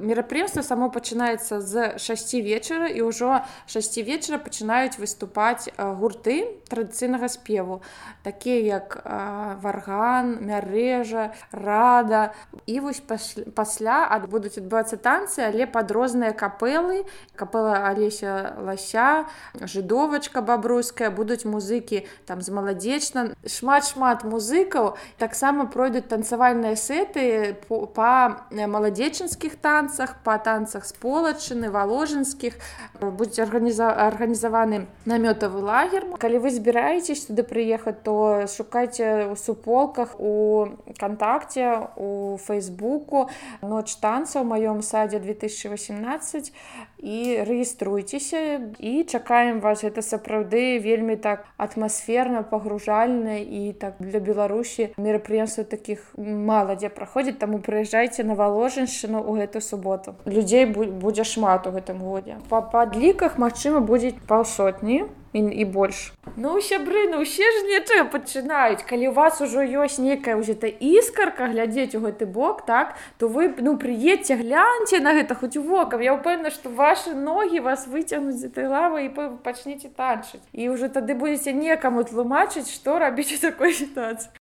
мерапрыемства само пачынаецца з 6 вечара, і ўжо 6 вечара пачынаюць выступаць гурты традыцыйнага спеву, такія як варган, мярэжа, рада. І вось пасля будуць адбывацца танцы, але пад розныя капэлы, капэла Алеся Лася, жыдовачка бабруйская, будуць музыкі там з маладзечна, шмат музыкаў. Таксама пройдуць танцавальныя сэты па маладзечынскіх танцах, па танцах з полачыны, валожынскіх. Будзе арганізаваны намётавы лагер. Калі вы збіраецесь туды прыехаць, то шукайце ў суполках, у кантакце, у фейсбуку «Ноч танца» ў маём садзе 2018 і рэгіструйцеся і чакаем вас. Гэта сапраўды вельмі так атмасферна, пагружальна, і так для Беларусі мерапрыемстваў такіх мала дзе праходзіць, таму прыязджайце на Валожыншчыну ў гэту суботу. Людзей будзе шмат у гэтым годзе. Па падліках, магчыма, будзе паўсотні і больш. Сябры, усе ж нечага пачынаюць. Калі у вас ужо ёсць нейкая ўжо іскарка глядзець у гэты бок, так, то вы прыедзьце, гляньце на гэта хоць вокам. Я ўпэўнена, што вашы ногі вас выцягнуць з этой лавы і пачнеце танчыць. І ўжо тады будзеце некаму тлумачыць, што рабіць у такой сітуацыі.